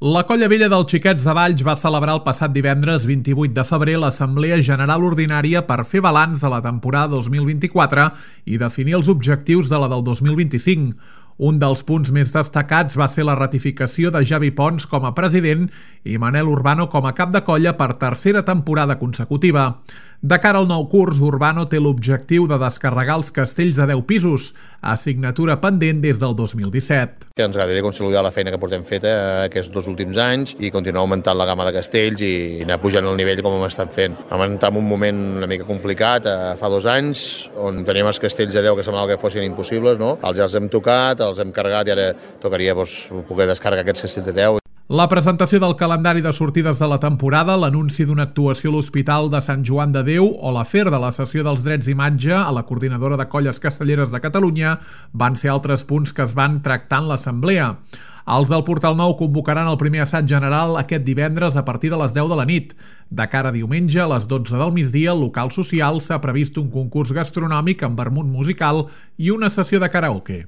La Colla Vella dels Xiquets de Valls va celebrar el passat divendres 28 de febrer l'Assemblea General Ordinària per fer balanç a la temporada 2024 i definir els objectius de la del 2025. Un dels punts més destacats va ser la ratificació de Javi Pons com a president i Manel Urbano com a cap de colla per tercera temporada consecutiva. De cara al nou curs, Urbano té l'objectiu de descarregar els castells de 10 pisos, assignatura pendent des del 2017. Ens agradaria consolidar la feina que portem feta aquests 2 últims anys i continuar augmentant la gamma de castells i anar pujant el nivell com hem estat fent. Vam entrar en un moment una mica complicat fa 2 anys, on teníem els castells de 10 que semblava que fossin impossibles, no? Els hem tocat, els hem carregat i ara tocaria poder descarregar aquests castells de 10. La presentació del calendari de sortides de la temporada, l'anunci d'una actuació a l'Hospital de Sant Joan de Déu o l'afer de la cessió dels drets d'imatge a la Coordinadora de Colles Castelleres de Catalunya van ser altres punts que es van tractar en l'assemblea. Els del Portal Nou convocaran el primer assaig general aquest divendres a partir de les 10 de la nit. De cara a diumenge, a les 12 del migdia, al local social s'ha previst un concurs gastronòmic amb vermut musical i una sessió de karaoke.